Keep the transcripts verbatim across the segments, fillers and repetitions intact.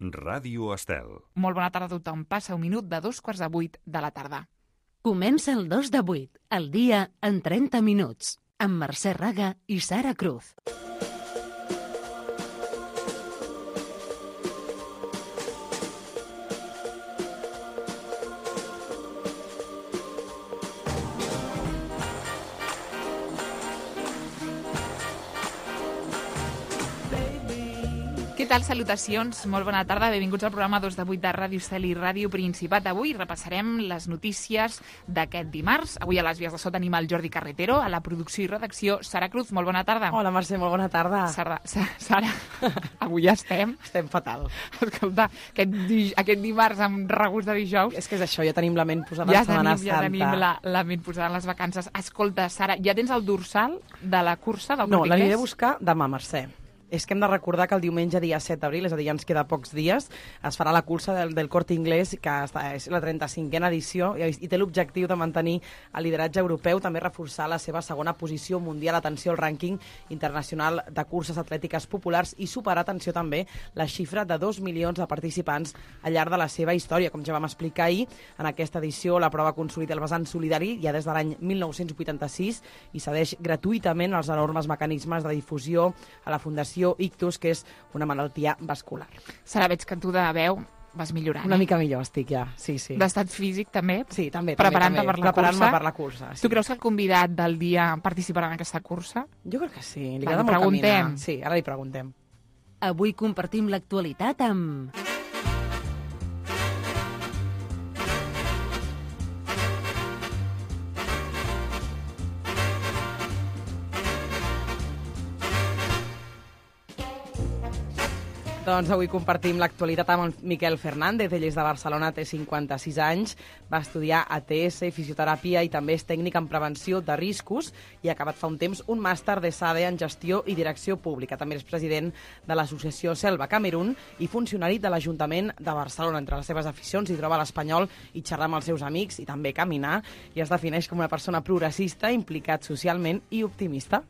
Ràdio Estel. Molt bona tarda a tothom. Passa un minut de dos quarts de vuit de la tarda. Comença el dos de vuit, el dia en trenta minuts, amb Mercè Raga i Sara Cruz. Què tal? Salutacions, molt bona tarda, benvinguts al programa dos de vuit de Ràdio Estel i Ràdio Principat. Avui repassarem les notícies d'aquest dimarts. Avui a les vies de so tenim el Jordi Carretero, a la producció i redacció Sara Cruz. Molt bona tarda. Hola, Mercè, molt bona tarda. Sara, Sara avui ja estem. Estem fatal. Escolta, aquest, di, aquest dimarts amb regust de dijous... És que és això, ja tenim la ment posada ja en Setmana tenim, Santa. Ja tenim la, la ment posada en les vacances. Escolta, Sara, ja tens el dorsal de la cursa del No, Corte Inglés? l'aniré a buscar demà, Mercè. És que hem de recordar que el diumenge dia set d'abril, és a dir, ja ens queda pocs dies, es farà la cursa del, del Corte Inglés, que està, és la trenta-cinquena edició, i, i té l'objectiu de mantenir el lideratge europeu, també reforçar la seva segona posició mundial, atenció al rànquing internacional de curses atlètiques populars i superar, atenció també, la xifra de dos milions de participants al llarg de la seva història. Com ja vam explicar ahir, en aquesta edició la prova consolida el vessant solidari ja des de l'any mil nou-cents vuitanta-sis i cedeix gratuïtament els enormes mecanismes de difusió a la Fundació Ictus, que és una malaltia vascular. Sara, veig que tu de veu vas millorant. Una eh? mica millor estic ja, sí, sí. D'estat físic també? Sí, també. Preparant-te també, per la Preparant-me cursa? per la cursa, sí. Tu creus que el convidat del dia participarà en aquesta cursa? Jo crec que sí, li Va, agrada li molt preguntem. caminar. Sí, ara li preguntem. Avui compartim l'actualitat amb... Doncs avui compartim l'actualitat amb el Miquel Fernández. Ell és de Barcelona, té cinquanta-sis anys, va estudiar A T S, fisioteràpia i també és tècnic en prevenció de riscos i ha acabat fa un temps un màster de S A D E en gestió i direcció pública. També és president de l'associació Selva Camerún i funcionari de l'Ajuntament de Barcelona. Entre les seves aficions hi troba l'espanyol i xerrar amb els seus amics i també caminar, i es defineix com una persona progressista, implicat socialment i optimista.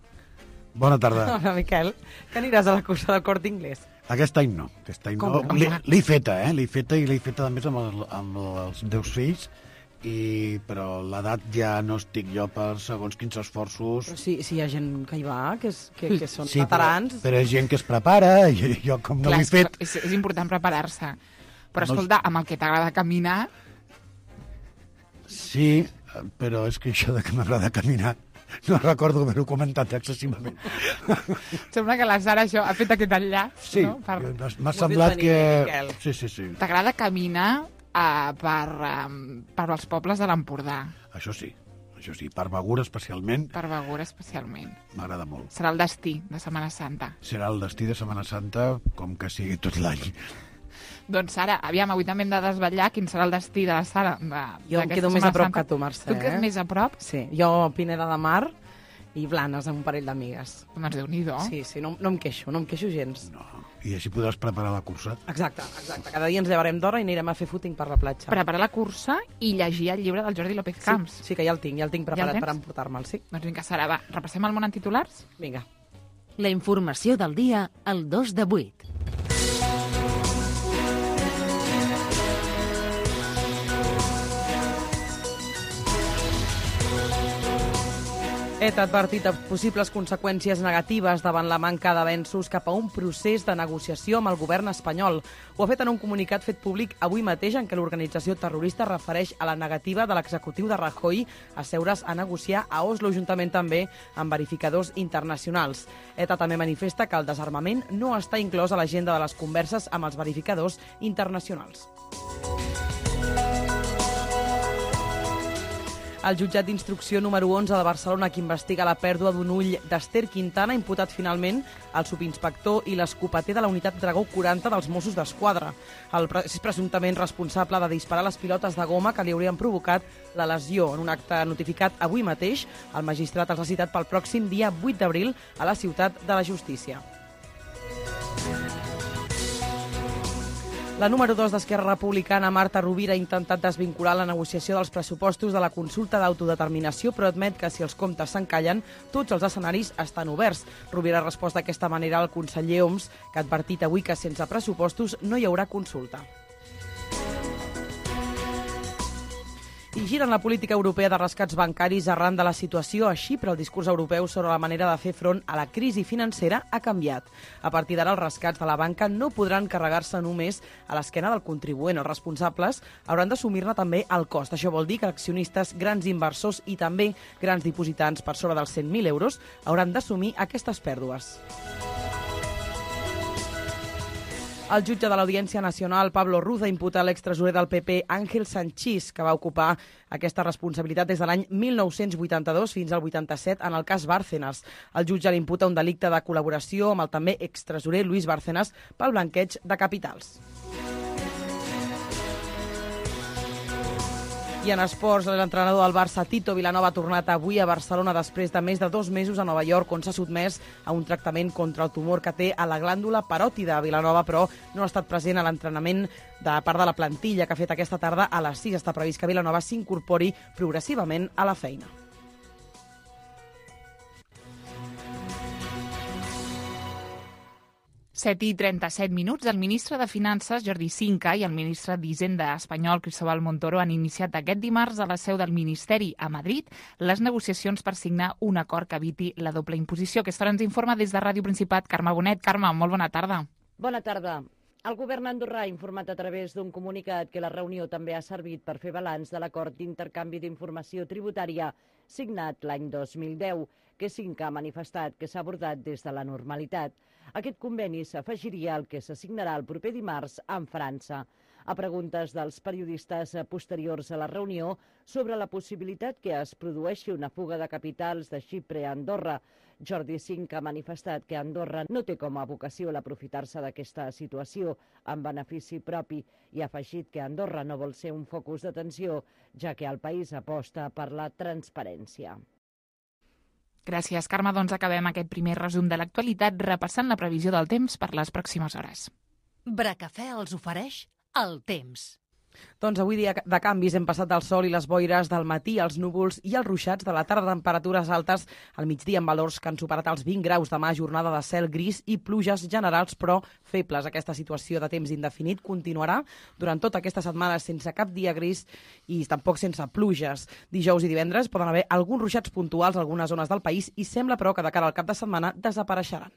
Bona tarda. Hola, Miquel. Que aniràs a la cursa del Corte Inglés? Aquest any no. Aquest any Com no. no? L'he l'he feta, eh? L'he feta i l'he feta, a més, amb, el, amb els meus fills, i, però l'edat ja no estic jo per segons quins esforços. Però sí, sí hi ha gent que hi va, que, és, que, que són Sí, veterans. però, però hi ha gent que es prepara, i jo com no Clar, l'he fet... És, és important preparar-se. Però, No, escolta, amb el que t'agrada caminar... Sí, però és que això de que m'agrada caminar no recordo haver-ho comentat excessivament. Sembla que la Sara això ha fet aquest enllaç, Sí, no? Per... m'ha Ho has semblat vist que... venir, Miquel. Sí, sí, sí. T'agrada caminar uh, per, um, per els pobles de l'Empordà, Això sí, això sí. Per Begur, especialment, per Begur especialment. m'agrada molt. Serà el destí de Setmana Santa. Serà el destí de Setmana Santa, com que sigui tot l'any. Doncs, Sara, aviam, avui també hem de desvetllar quin serà el destí de la Sara. De, Jo em quedo més a prop que tu, Mercè. Tu et quedes més a prop? Sí, jo Pineda de Mar i Blanes amb un parell d'amigues. Doncs Déu-n'hi-do. Sí, sí, no, no em queixo, no em queixo gens. No. I així podràs preparar la cursa. Exacte, exacte. Cada dia ens llevarem d'hora i anirem a fer footing per la platja. Preparar la cursa i llegir el llibre del Jordi López Camps. Sí, sí, que ja el tinc, ja el tinc Ja preparat el tens? per emportar-me'l, sí. Doncs vinga, Sara, va, repassem el món en titulars? Vinga. La informació del dia al dos de vuit. ETA ha advertit de possibles conseqüències negatives davant la manca d'avenços cap a un procés de negociació amb el govern espanyol. Ho ha fet en un comunicat fet públic avui mateix en què l'organització terrorista refereix a la negativa de l'executiu de Rajoy a seure's a negociar a Oslo, juntament també amb verificadors internacionals. ETA també manifesta que el desarmament no està inclòs a l'agenda de les converses amb els verificadors internacionals. El jutjat d'instrucció número onze de Barcelona, que investiga la pèrdua d'un ull d'Ester Quintana, ha imputat finalment el subinspector i l'escopeter de la unitat Dragó quaranta dels Mossos d'Esquadra. El pre- és presumptament responsable de disparar les pilotes de goma que li haurien provocat la lesió. En un acte notificat avui mateix, el magistrat els ha citat pel pròxim dia vuit d'abril a la Ciutat de la Justícia. La número dos d'Esquerra Republicana, Marta Rovira, ha intentat desvincular la negociació dels pressupostos de la consulta d'autodeterminació, però admet que si els comptes s'encallen, tots els escenaris estan oberts. Rovira ha respost d'aquesta manera al conseller Homs, que ha advertit avui que sense pressupostos no hi haurà consulta. I giren la política europea de rescats bancaris arran de la situació a Xipre. El discurs europeu sobre la manera de fer front a la crisi financera ha canviat. A partir d'ara, els rescats de la banca no podran carregar-se només a l'esquena del contribuent. Els responsables hauran d'assumir-ne també el cost. Això vol dir que accionistes, grans inversors i també grans dipositants per sobre dels cent mil euros hauran d'assumir aquestes pèrdues. El jutge de l'Audiència Nacional, Pablo Ruz, ha imputat a l'extresorer del P P, Ángel Sanchís, que va ocupar aquesta responsabilitat des de l'any mil nou-cents vuitanta-dos fins al vuitanta-set en el cas Bárcenas. El jutge li imputa un delicte de col·laboració amb el també extresorer Luis Bárcenas pel blanqueig de capitals. I en esports, l'entrenador del Barça, Tito Vilanova, ha tornat avui a Barcelona després de més de dos mesos a Nova York, on s'ha sotmès a un tractament contra el tumor que té a la glàndula paròtida. Vilanova, però, no ha estat present a l'entrenament de part de la plantilla que ha fet aquesta tarda a les sis. Està previst que Vilanova s'incorpori progressivament a la feina. set i trenta-set minuts. El ministre de Finances, Jordi Sinca, i el ministre d'Hisenda espanyol, Cristóbal Montoro, han iniciat aquest dimarts a la seu del Ministeri a Madrid les negociacions per signar un acord que eviti la doble imposició. Aquesta hora ens informa des de Ràdio Principat Carme Bonet. Carme, molt bona tarda. Bona tarda. El govern andorrà ha informat a través d'un comunicat que la reunió també ha servit per fer balanç de l'acord d'intercanvi d'informació tributària signat l'any dos mil deu, que Sinca ha manifestat que s'ha abordat des de la normalitat. Aquest conveni s'afegiria al que s'assignarà el proper dimarts amb França. A preguntes dels periodistes posteriors a la reunió sobre la possibilitat que es produeixi una fuga de capitals de Xipre a Andorra, Jordi Sinca ha manifestat que Andorra no té com a vocació l'aprofitar-se d'aquesta situació en benefici propi i ha afegit que Andorra no vol ser un focus d'atenció, ja que el país aposta per la transparència. Gràcies, Carme. Doncs acabem aquest primer resum de l'actualitat repassant la previsió del temps per les pròximes hores. Bracafè els ofereix el temps. Doncs avui dia de canvis hem passat del sol i les boires del matí als núvols i els ruixats de la tarda, temperatures altes al migdia amb valors que han superat els vint graus. Demà jornada de cel gris i pluges generals però febles. Aquesta situació de temps indefinit continuarà durant tota aquesta setmana sense cap dia gris i tampoc sense pluges. Dijous i divendres poden haver alguns ruixats puntuals a algunes zones del país i sembla però que de cara al cap de setmana desapareixeran.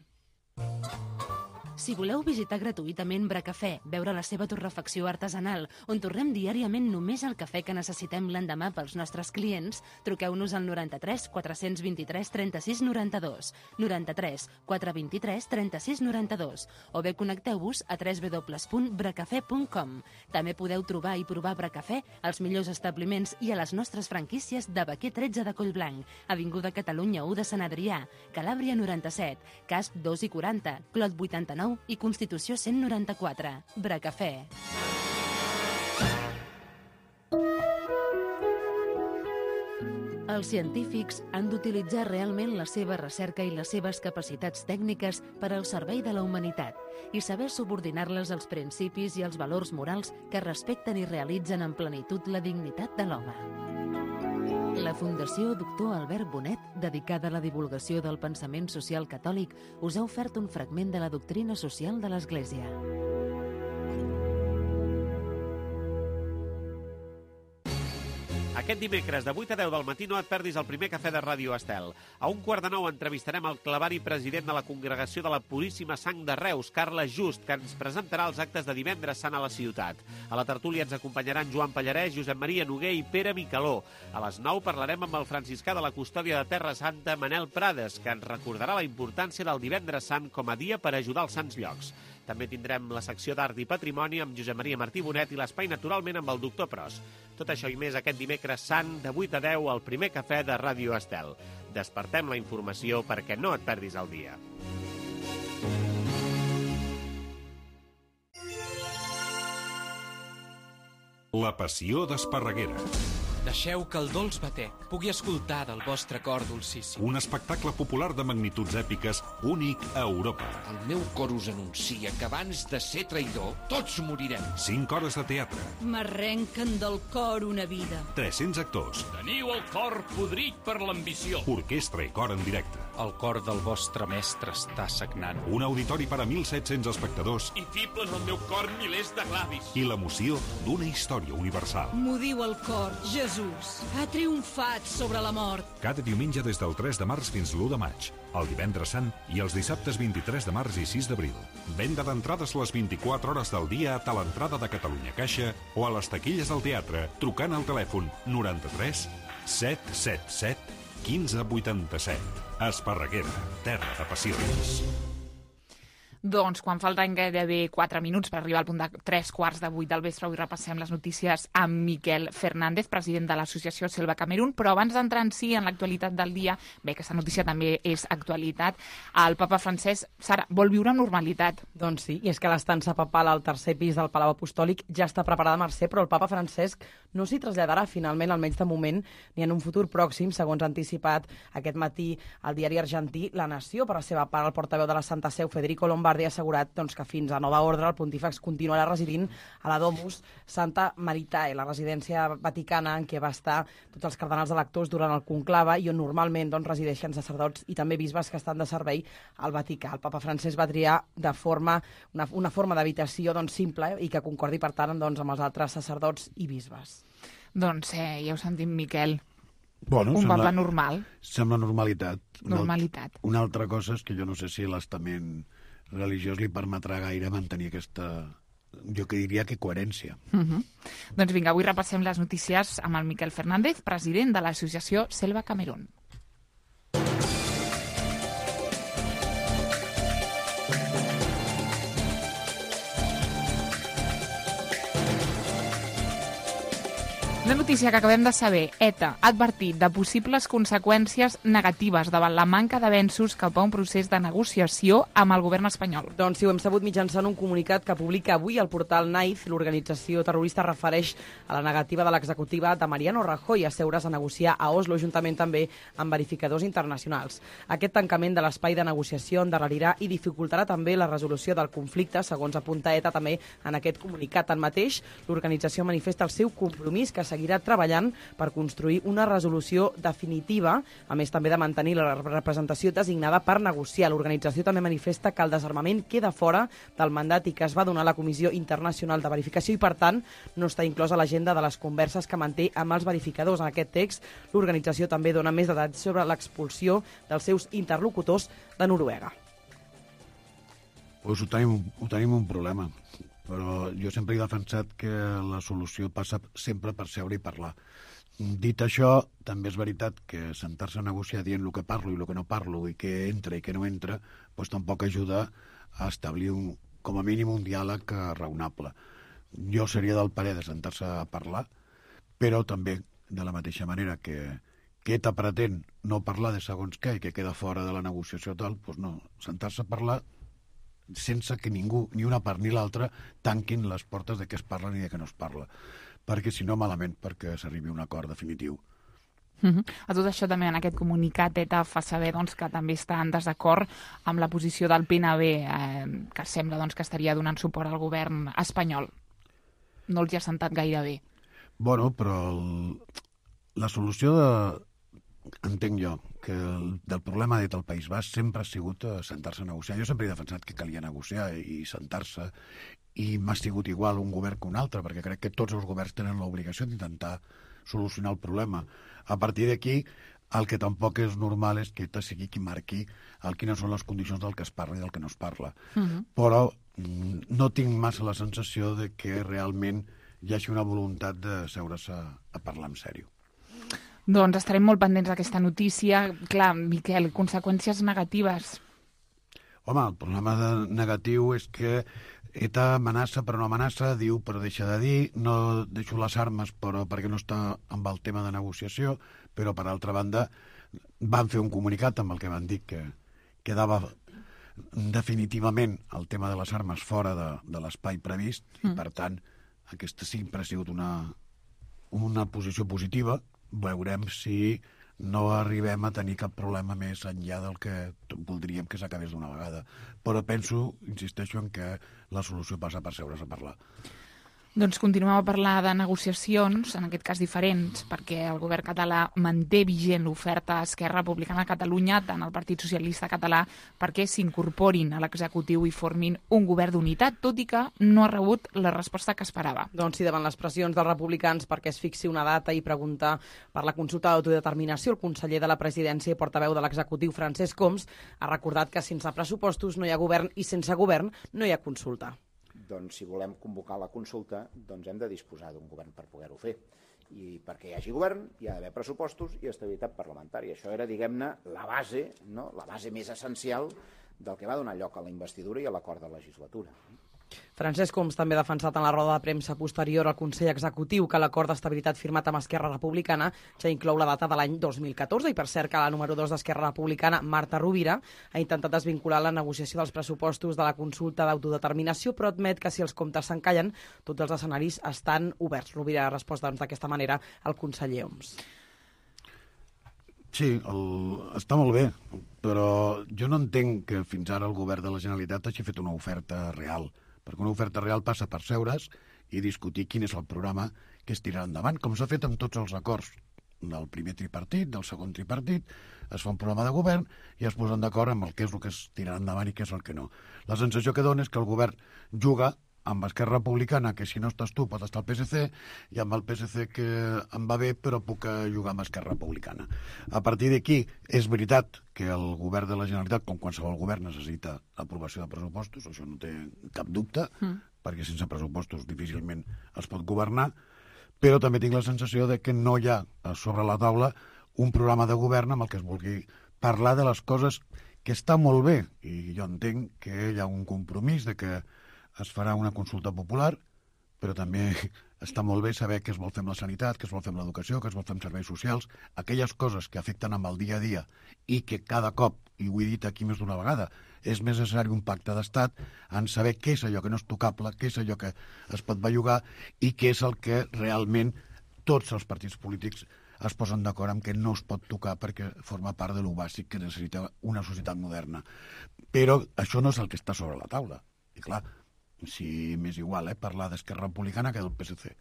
Si voleu visitar gratuïtament Bracafè, veure la seva torrefacció artesanal, on torrem diàriament només el cafè que necessitem l'endemà pels nostres clients, truqueu-nos al noranta-tres quatre-cents vint-i-tres trenta-sis noranta-dos, noranta-tres quatre vint-i-tres trenta-sis noranta-dos, o bé connecteu-vos a w w w punt bracafè punt com. També podeu trobar i provar Bracafè als millors establiments i a les nostres franquícies de Baquer tretze de Collblanc, Avinguda Catalunya u de Sant Adrià, Calàbria noranta-set, Casp dos i quaranta, Clot vuitanta-nou i Constitució cent noranta-quatre. Bracafè. Els científics han d'utilitzar realment la seva recerca i les seves capacitats tècniques per al servei de la humanitat i saber subordinar-les als principis i als valors morals que respecten i realitzen en plenitud la dignitat de l'home. La Fundació Doctor Albert Bonet, dedicada a la divulgació del pensament social catòlic, us ha ofert un fragment de la doctrina social de l'Església. Aquest dimecres de vuit a deu del matí no et perdis el primer cafè de Ràdio Estel. A un quart de nou entrevistarem el clavari president de la Congregació de la Puríssima Sang de Reus, Carles Just, que ens presentarà els actes de divendres sant a la ciutat. A la tertúlia ens acompanyaran Joan Pallarès, Josep Maria Noguer i Pere Micaló. A les nou parlarem amb el franciscà de la Custòdia de Terra Santa, Manel Prades, que ens recordarà la importància del divendres sant com a dia per ajudar els sants llocs. També tindrem la secció d'Art i Patrimoni amb Josep Maria Martí Bonet i l'Espai Naturalment amb el doctor Pros. Tot això i més aquest dimecres sant de vuit a deu al primer cafè de Ràdio Estel. Despertem la informació perquè no et perdis el dia. La passió d'Esparreguera. Deixeu que el dolç batec pugui escoltar del vostre cor dolcíssim. Un espectacle popular de magnituds èpiques únic a Europa. El meu cor us anuncia que abans de ser traïdor, tots morirem. Cinc hores de teatre. M'arrenquen del cor una vida. tres-cents actors. Teniu el cor podrit per l'ambició. Orquestra i cor en directe. El cor del vostre mestre està sagnant. Un auditori per a mil set-cents espectadors. I fiblen al meu cor milers de glavis. I l'emoció d'una història universal. M'ho diu el cor, Jesús. Ha triomfat sobre la mort. Cada diumenge des del tres de març fins l'u de maig, el divendres sant i els dissabtes vint-i-tres de març i sis d'abril. Venda d'entrades les vint-i-quatre hores del dia a Talentrada de Catalunya Caixa o a les taquilles del teatre trucant al telèfon noranta-tres set set set quinze vuitanta-set. Esparreguera, terra de passions. Doncs quan falten gairebé quatre minuts per arribar al punt de tres quarts de vuit del vespre, avui repassem les notícies amb Miquel Fernández, president de l'associació Selva Camerún, però abans d'entrar en si en l'actualitat del dia, bé, aquesta notícia també és actualitat, el papa francès, Sara, vol viure amb normalitat. Doncs sí, i és que l'estança papal al tercer pis del Palau Apostòlic ja està preparada, Mercè, però el papa Francesc no s'hi traslladarà finalment, almenys de moment, ni en un futur pròxim, segons ha anticipat aquest matí el diari argentí La Nació. Per la seva part, el portaveu de la Santa Seu, Federico Lombardi, ha assegurat doncs, que fins a nova ordre el pontífex continuarà residint a la Domus Santa Maritae, la residència vaticana en què va estar tots els cardenals electors durant el conclave i on normalment doncs, resideixen sacerdots i també bisbes que estan de servei al Vaticà. El papa francès va triar de forma, una, una forma d'habitació doncs, simple eh, i que concordi, per tant, doncs, amb els altres sacerdots i bisbes. Doncs eh, ja ho sentim, Miquel. Bueno, un sembla, papa normal. Sembla normalitat. Normalitat. Una altra cosa és que jo no sé si l'estament religiós li permetrà gaire mantenir aquesta, jo que diria que coherència. Uh -huh. Doncs vinga, avui repassem les notícies amb el Miquel Fernández, president de l'associació Selva Camerún. La notícia que acabem de saber, ETA ha advertit de possibles conseqüències negatives davant la manca d'avenços cap a un procés de negociació amb el govern espanyol. Doncs sí, ho hem sabut mitjançant un comunicat que publica avui el portal Naiz. L'organització terrorista refereix a la negativa de l'executiva de Mariano Rajoy a seure's a negociar a Oslo, juntament també amb verificadors internacionals. Aquest tancament de l'espai de negociació endarrerirà i dificultarà també la resolució del conflicte, segons apunta ETA també en aquest comunicat. Tanmateix, l'organització manifesta el seu compromís que seguirà treballant per construir una resolució definitiva, a més també de mantenir la representació designada per negociar. L'organització també manifesta que el desarmament queda fora del mandat i que es va donar a la Comissió Internacional de Verificació i, per tant, no està inclosa a l'agenda de les converses que manté amb els verificadors. En aquest text, l'organització també dona més detalls sobre l'expulsió dels seus interlocutors de Noruega. Pues ho tenim, ho tenim un problema. Però jo sempre he defensat que la solució passa sempre per seure i parlar. Dit això, també és veritat que sentar-se a negociar dient el que parlo i el que no parlo i què entra i què no entra, doncs tampoc ajuda a establir un, com a mínim un diàleg raonable. Jo seria del parer de sentar-se a parlar, però també de la mateixa manera que, que ETA pretén no parlar de segons què i que queda fora de la negociació tal, doncs no, sentar-se a parlar sense que ningú, ni una part ni l'altra, tanquin les portes de què es parla ni de què no es parla. Perquè, si no, malament, perquè s'arribi a un acord definitiu. Uh -huh. A tot això també en aquest comunicat ETA fa saber doncs, que també està en desacord amb la posició del P N B, eh, que sembla doncs, que estaria donant suport al govern espanyol. No els hi ha sentat gaire bé. Bueno, però el, la solució de... entenc jo que el, del problema del País Basc sempre ha sigut sentar-se a negociar. Jo sempre he defensat que calia negociar i sentar-se, i m'ha sigut igual un govern que un altre, perquè crec que tots els governs tenen l'obligació d'intentar solucionar el problema. A partir d'aquí, el que tampoc és normal és que ETA sigui qui marqui el quines són les condicions del que es parla i del que no es parla. Uh-huh. Però no tinc massa la sensació de que realment hi hagi una voluntat de seure's a, a parlar en sèrio. Doncs estarem molt pendents d'aquesta notícia. Clar, Miquel, conseqüències negatives. Home, el problema de negatiu és que ETA amenaça però no amenaça, diu però deixa de dir, no deixo les armes però perquè no està amb el tema de negociació, però per altra banda van fer un comunicat amb el que van dir que quedava definitivament el tema de les armes fora de, de l'espai previst, mm. i per tant aquesta sempre ha sigut una, una posició positiva, veurem si no arribem a tenir cap problema més enllà del que voldríem que s'acabés d'una vegada. Però penso, insisteixo, en que la solució passa per seure's a parlar. Doncs continuem a parlar de negociacions, en aquest cas diferents, perquè el govern català manté vigent l'oferta a Esquerra Republicana de Catalunya, tant al Partit Socialista Català, perquè s'incorporin a l'executiu i formin un govern d'unitat, tot i que no ha rebut la resposta que esperava. Doncs sí, davant les pressions dels republicans perquè es fixi una data i preguntar per la consulta d'autodeterminació, el conseller de la presidència i portaveu de l'executiu, Francesc Homs, ha recordat que sense pressupostos no hi ha govern i sense govern no hi ha consulta. Doncs si volem convocar la consulta, doncs hem de disposar d'un govern per poder-ho fer. I perquè hi hagi govern hi ha d'haver pressupostos i estabilitat parlamentària. Això era, diguem-ne, la base, no? La base més essencial del que va donar lloc a la investidura i a l'acord de legislatura. Francesc Homs també ha defensat en la roda de premsa posterior al Consell Executiu que l'acord d'estabilitat firmat amb Esquerra Republicana ja inclou la data de l'any dos mil catorze i per cert que la número dos d'Esquerra Republicana, Marta Rovira, ha intentat desvincular la negociació dels pressupostos de la consulta d'autodeterminació però admet que si els comptes s'encallen tots els escenaris estan oberts. Rovira ha respost doncs, d'aquesta manera al conseller Homs. Sí, el... està molt bé, però jo no entenc que fins ara el govern de la Generalitat hagi fet una oferta real, perquè una oferta real passa per seure's i discutir quin és el programa que es tirarà endavant, com s'ha fet amb tots els acords del primer tripartit, del segon tripartit, es fa un programa de govern i es posen d'acord amb el que és el que es tirarà endavant i què és el que no. La sensació que dona és que el govern juga amb Esquerra Republicana, que si no estàs tu pot estar el P S C, i amb el P S C que em va bé però puc jugar amb Esquerra Republicana. A partir d'aquí, és veritat que el govern de la Generalitat, com qualsevol govern, necessita aprovació de pressupostos, això no té cap dubte, mm. perquè sense pressupostos difícilment es pot governar, però també tinc la sensació de que no hi ha sobre la taula un programa de govern amb el que es vulgui parlar de les coses que està molt bé, i jo entenc que hi ha un compromís de que es farà una consulta popular, però també està molt bé saber què es vol fer amb la sanitat, què es vol fer amb l'educació, què es vol fer amb serveis socials, aquelles coses que afecten amb el dia a dia i que cada cop, i ho he dit aquí més d'una vegada, és més necessari un pacte d'estat en saber què és allò que no és tocable, què és allò que es pot bellugar i què és el que realment tots els partits polítics es posen d'acord amb que no es pot tocar perquè forma part de lo bàsic que necessita una societat moderna. Però això no és el que està sobre la taula. I clar, si m'és igual, eh, parlar d'Esquerra Republicana que del P S C.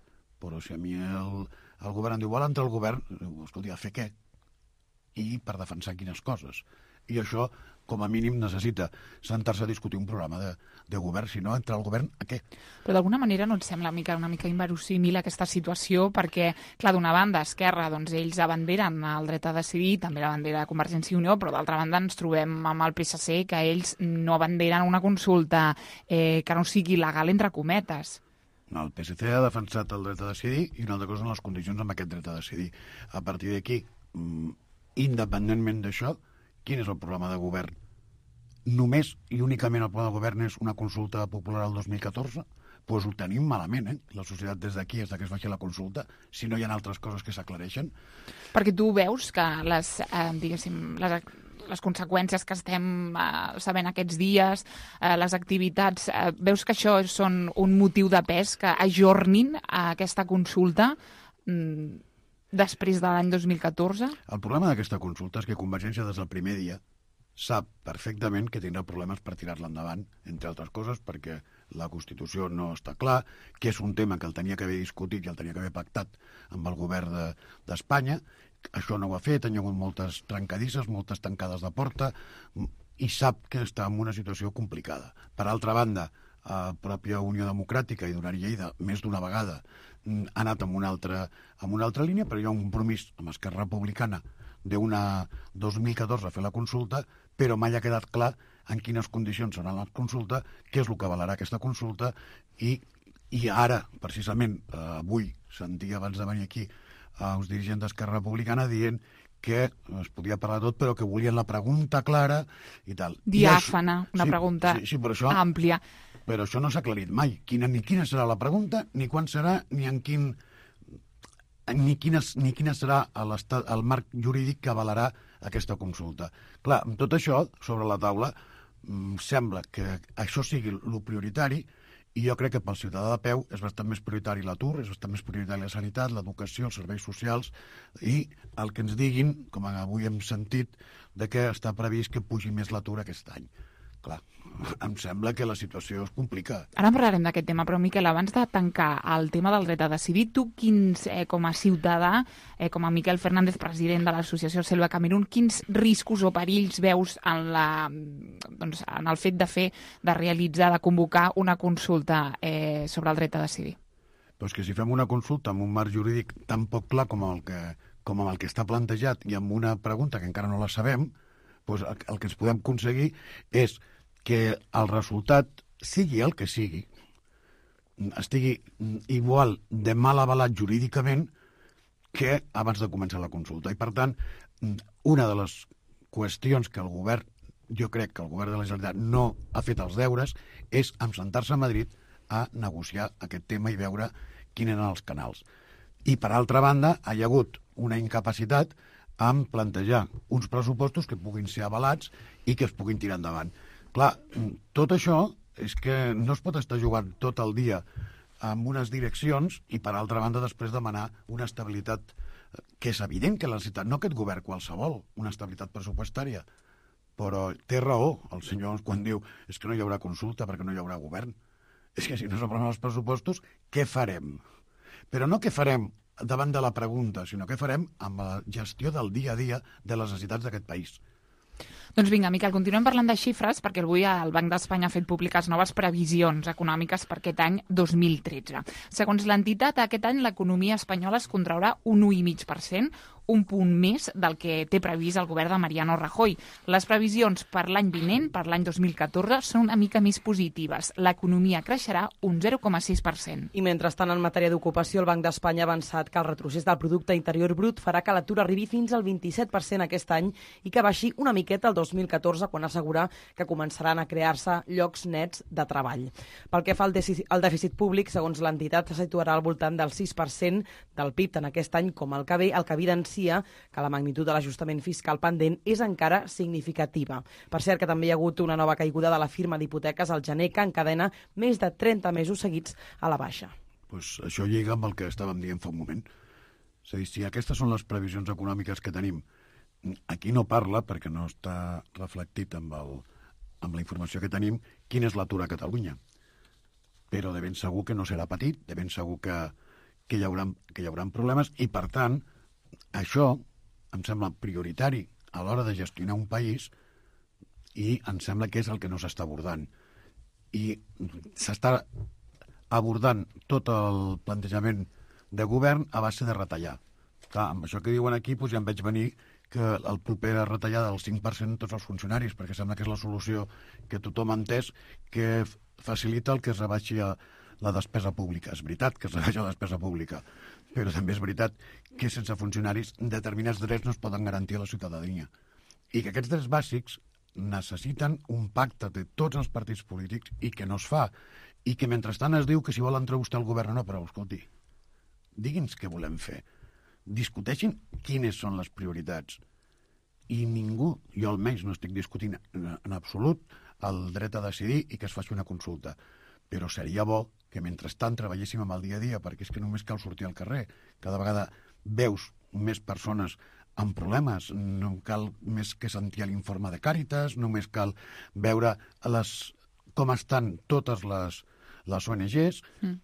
Però si a mi el, el govern em diu, vol entrar al govern, escolti, a fer què? I per defensar quines coses. I això, com a mínim, necessita sentar-se a discutir un programa de, de govern, si no, entrar al govern a què? Però d'alguna manera no et sembla una mica, una mica inverosímil aquesta situació, perquè, clar, d'una banda, Esquerra, doncs ells abanderen el dret a decidir, també la bandera de Convergència i Unió, però d'altra banda ens trobem amb el P S C que ells no abanderen una consulta eh, que no sigui legal, entre cometes. No, el P S C ha defensat el dret a decidir i una altra cosa són les condicions amb aquest dret a decidir. A partir d'aquí, independentment d'això, quin és el programa de govern? Només i únicament el programa de govern és una consulta popular al dos mil catorze? Doncs pues ho tenim malament, eh? La societat des d'aquí, des que es faci la consulta, si no hi ha altres coses que s'aclareixen. Perquè tu veus que les, eh, diguéssim, les, les conseqüències que estem eh, sabent aquests dies, eh, les activitats, eh, veus que això són un motiu de pes que ajornin a aquesta consulta mm, després de l'any dos mil catorze? El problema d'aquesta consulta és que Convergència des del primer dia sap perfectament que tindrà problemes per tirar-la endavant, entre altres coses, perquè la Constitució no està clar, que és un tema que el tenia que haver discutit i el tenia que haver pactat amb el govern de, d'Espanya. Això no ho ha fet, han hagut moltes trencadisses, moltes tancades de porta, i sap que està en una situació complicada. Per altra banda, la pròpia Unió Democràtica i Duran Lleida, més d'una vegada, ha anat en una altra, en una altra línia, però hi ha un compromís amb Esquerra Republicana d'una dos mil catorze a fer la consulta, però mai ha quedat clar en quines condicions serà la consulta, què és el que avalarà aquesta consulta, i, i ara, precisament, eh, avui sentia abans de venir aquí eh, uns dirigents d'Esquerra Republicana dient que es podia parlar tot, però que volien la pregunta clara i tal. Diàfana, una sí, pregunta sí, sí, però això, àmplia. Però això no s'ha aclarit mai. Quina, ni quina serà la pregunta, ni quan serà, ni en quin... ni quina, ni quina serà el marc jurídic que avalarà aquesta consulta. Clar, amb tot això sobre la taula, sembla que això sigui el prioritari I jo crec que pel ciutadà de peu és bastant més prioritari l'atur, és bastant més prioritari la sanitat, l'educació, els serveis socials, i el que ens diguin, com avui hem sentit, de que està previst que pugi més l'atur aquest any. Clar, em sembla que la situació es complica. Ara en parlarem d'aquest tema, però Miquel, abans de tancar el tema del dret a decidir, tu quins, eh, com a ciutadà, eh, com a Miquel Fernández, president de l'associació Selva Camerún, quins riscos o perills veus en, la, doncs, en el fet de fer, de realitzar, de convocar una consulta eh, sobre el dret a decidir? Doncs que si fem una consulta amb un marc jurídic tan poc clar com el que, com el que està plantejat i amb una pregunta que encara no la sabem, doncs el, el que ens podem aconseguir és que el resultat, sigui el que sigui, estigui igual de mal avalat jurídicament que abans de començar la consulta. I, per tant, una de les qüestions que el govern, jo crec que el govern de la Generalitat no ha fet els deures, és sentar-se a Madrid a negociar aquest tema i veure quins eren els canals. I, per altra banda, hi ha hagut una incapacitat en plantejar uns pressupostos que puguin ser avalats i que es puguin tirar endavant. Clar, tot això és que no es pot estar jugant tot el dia amb unes direccions i, per altra banda, després demanar una estabilitat que és evident que la necessitat, no aquest govern qualsevol, una estabilitat pressupostària. Però té raó el senyor quan diu és que no hi haurà consulta perquè no hi haurà govern. És que si no s'aproven els pressupostos, què farem? Però no què farem davant de la pregunta, sinó què farem amb la gestió del dia a dia de les necessitats d'aquest país. Doncs vinga, Miquel, continuem parlant de xifres perquè avui el Banc d'Espanya ha fet públiques noves previsions econòmiques per aquest any dos mil tretze. Segons l'entitat, aquest any l'economia espanyola es contraurà un u coma cinc per cent, un punt més del que té previst el govern de Mariano Rajoy. Les previsions per l'any vinent, per l'any dos mil catorze, són una mica més positives. L'economia creixerà un zero coma sis per cent. I mentrestant, en matèria d'ocupació, el Banc d'Espanya ha avançat que el retrocés del producte interior brut farà que l'atur arribi fins al vint-i-set per cent aquest any i que baixi una miqueta el dos mil catorze, quan assegura que començaran a crear-se llocs nets de treball. Pel que fa al dèficit, al dèficit públic, segons l'entitat, se situarà al voltant del sis per cent del P I B tant aquest any com el que ve, el que evidencia que la magnitud de l'ajustament fiscal pendent és encara significativa. Per cert, que també hi ha hagut una nova caiguda de la firma d'hipoteques al gener que encadena més de trenta mesos seguits a la baixa. Pues això lliga amb el que estàvem dient fa un moment. És a dir, si aquestes són les previsions econòmiques que tenim, aquí no parla, perquè no està reflectit amb, el, amb la informació que tenim, quin és l'atur a Catalunya. Però de ben segur que no serà petit, de ben segur que, que, hi haurà, que hi haurà problemes i, per tant, això em sembla prioritari a l'hora de gestionar un país i em sembla que és el que no s'està abordant. I s'està abordant tot el plantejament de govern a base de retallar. Clar, amb això que diuen aquí doncs ja em veig venir que el proper retallada del cinc per cent tots els funcionaris, perquè sembla que és la solució que tothom ha entès, que facilita el que es rebaixi la despesa pública. És veritat que es rebaixa la despesa pública, però també és veritat que sense funcionaris determinats drets no es poden garantir a la ciutadania. I que aquests drets bàsics necessiten un pacte de tots els partits polítics i que no es fa. I que mentrestant es diu que si vol entrar vostè al govern o no, però escolti, digui'ns què volem fer. Discuteixin quines són les prioritats. I ningú, jo almenys no estic discutint en absolut el dret a decidir i que es faci una consulta. Però seria bo que mentrestant treballéssim amb el dia a dia, perquè és que només cal sortir al carrer. Cada vegada veus més persones amb problemes, no cal més que sentir l'informe de Càritas, només cal veure les, com estan totes les, les O N Ges. Mm.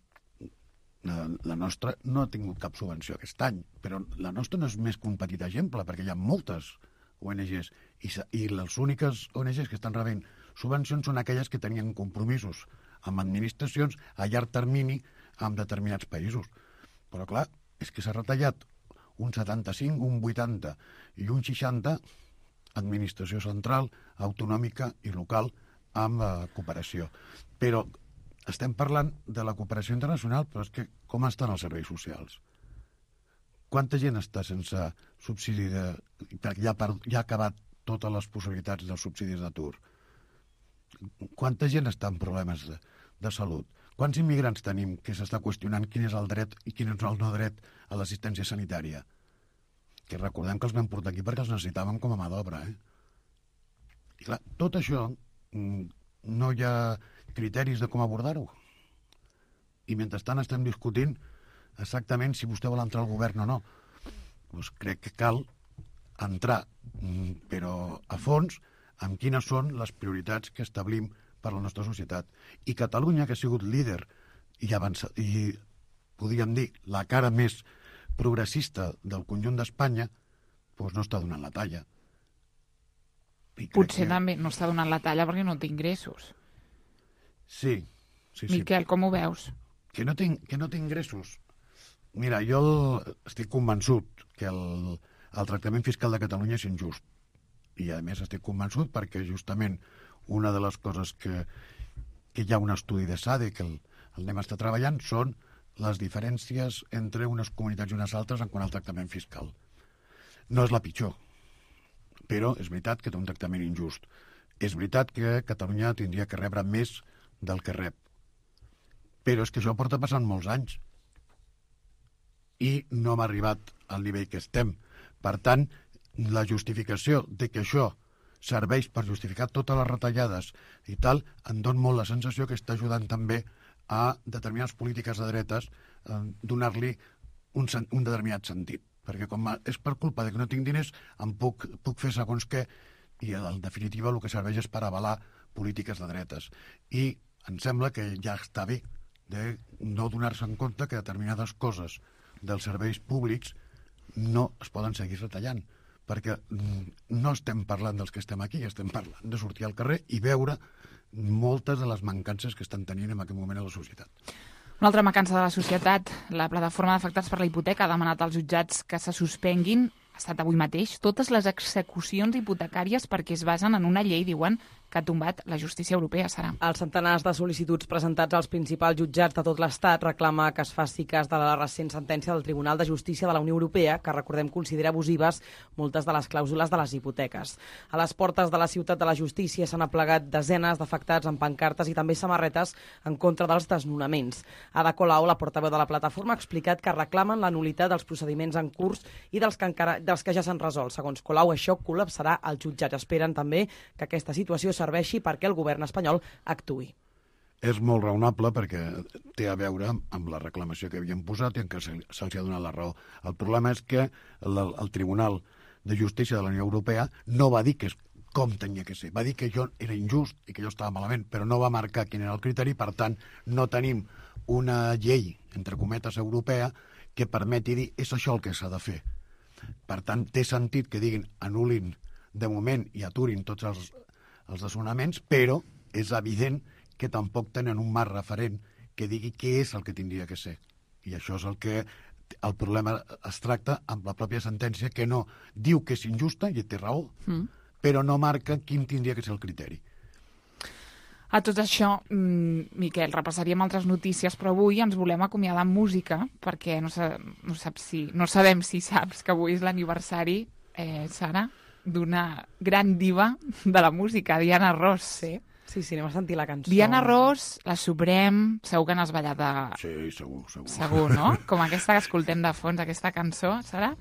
La, la nostra no ha tingut cap subvenció aquest any, però la nostra no és més que un petit exemple, perquè hi ha moltes O N Ges i, i les úniques O N Ges que estan rebent subvencions són aquelles que tenien compromisos amb administracions a llarg termini amb determinats països. Però clar, és que s'ha retallat un setanta-cinc, un vuitanta i un seixanta administració central, autonòmica i local amb eh, cooperació. Però estem parlant de la cooperació internacional, però és que com estan els serveis socials? Quanta gent està sense subsidi de... perquè ja, per... ja ha acabat totes les possibilitats dels subsidis d'atur? Quanta gent està en problemes de, de salut? Quants immigrants tenim que s'està qüestionant quin és el dret i quin és el no dret a l'assistència sanitària? Que recordem que els vam portar aquí perquè els necessitàvem com a mà d'obra, eh? I clar, tot això no hi ha criteris de com abordar-ho. i mentrestant estem discutint exactament si vostè vol entrar al govern o no. Doncs crec que cal entrar, però a fons, amb quines són les prioritats que establim per a la nostra societat. I Catalunya, que ha sigut líder i, avança, i podríem dir, la cara més progressista del conjunt d'Espanya, doncs no està donant la talla. Potser que... també no està donant la talla perquè no té ingressos. Sí, sí, sí. Miquel, com ho veus? Que no té, que no té ingressos. Mira, jo estic convençut que el, el tractament fiscal de Catalunya és injust. I, a més, estic convençut perquè justament una de les coses que, que hi ha un estudi de SADE que el, el anem a estar treballant són les diferències entre unes comunitats i unes altres en quant al tractament fiscal. No és la pitjor, però és veritat que té un tractament injust. És veritat que Catalunya tindria que rebre més del que rep. Però és que això porta passant molts anys i no hem arribat al nivell que estem. Per tant, la justificació de que això serveix per justificar totes les retallades i tal, em dona molt la sensació que està ajudant també a determinades polítiques de dretes eh, donar-li un, un determinat sentit. Perquè com és per culpa de que no tinc diners, em puc, puc fer segons què, i en definitiva el que serveix és per avalar polítiques de dretes. I em sembla que ja està bé de no donar-se en compte que determinades coses dels serveis públics no es poden seguir retallant, perquè no estem parlant dels que estem aquí, estem parlant de sortir al carrer i veure moltes de les mancances que estan tenint en aquest moment a la societat. Una altra mancança de la societat, la plataforma d'afectats per la hipoteca ha demanat als jutjats que se suspenguin, ha estat avui mateix, totes les execucions hipotecàries perquè es basen en una llei, diuen, que ha tombat la justícia europea, Sara. Els centenars de sol·licituds presentats als principals jutjats de tot l'Estat reclama que es faci cas de la recent sentència del Tribunal de Justícia de la Unió Europea, que, recordem, considera abusives moltes de les clàusules de les hipoteques. A les portes de la Ciutat de la Justícia s'han aplegat desenes d'afectats amb pancartes i també samarretes en contra dels desnonaments. Ada Colau, la portaveu de la plataforma, ha explicat que reclamen la nul·litat dels procediments en curs i dels que, encara, dels que ja s'han resolt. Segons Colau, això col·lapsarà el jutjat. Esperen també que aquesta situació serveixi perquè el govern espanyol actuï. És molt raonable perquè té a veure amb la reclamació que havien posat i en què se'ls ha donat la raó. El problema és que el, el Tribunal de Justícia de la Unió Europea no va dir que és com tenia que ser. Va dir que jo era injust i que jo estava malament, però no va marcar quin era el criteri. Per tant, no tenim una llei, entre cometes, europea que permeti dir és això el que s'ha de fer. Per tant, té sentit que diguin anul·lin de moment i aturin tots els els desnonaments, però és evident que tampoc tenen un marc referent que digui què és el que tindria que ser. I això és el que el problema es tracta amb la pròpia sentència, que no diu que és injusta, i té raó, mm. però no marca quin tindria que ser el criteri. A tot això, Miquel, repassaríem altres notícies, però avui ens volem acomiadar amb música, perquè no, sa- no, saps si, no sabem si saps que avui és l'aniversari, eh, Sara, d'una gran diva de la música, Diana Ross. Sí, sí, sí, anem a sentir la cançó. Diana Ross, la Suprem, segur que n'has ballat de... Sí, segur, segur. Segur, no? Com aquesta que escoltem de fons, aquesta cançó, Sara?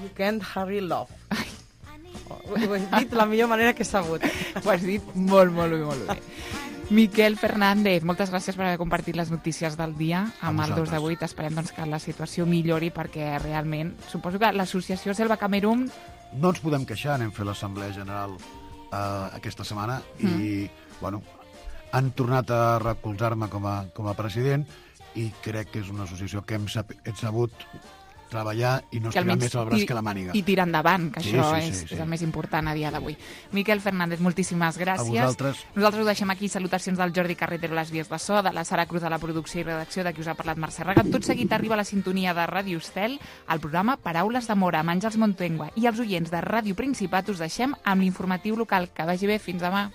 You Can't Hurry Love. Ai. Ho he dit de la millor manera que he sabut. Ho has dit molt, molt bé, molt bé. Miquel Fernández, moltes gràcies per haver compartit les notícies del dia amb el dos de vuit. Esperem doncs, que la situació millori perquè realment, suposo que l'associació Selva Camerún... No ens podem queixar, anem a fer l'Assemblea General eh, aquesta setmana mm. i, bueno, han tornat a recolzar-me com a, com a president i crec que és una associació que hem, sab hem sabut treballar i no estirar més el braç que la màniga. I tirar endavant, que sí, això sí, és, sí, sí. és el més important a dia d'avui. Miquel Fernández, moltíssimes gràcies. A vosaltres. Nosaltres ho deixem aquí. Salutacions del Jordi Carretero, les vies de so, de la Sara Cruz a la producció i redacció, de qui us ha parlat Mercè Raga. Tot seguit arriba la sintonia de Ràdio Estel, el programa Paraules d'Amor amb Àngels Montengua, i els oients de Ràdio Principat us deixem amb l'informatiu local. Que vagi bé, fins demà.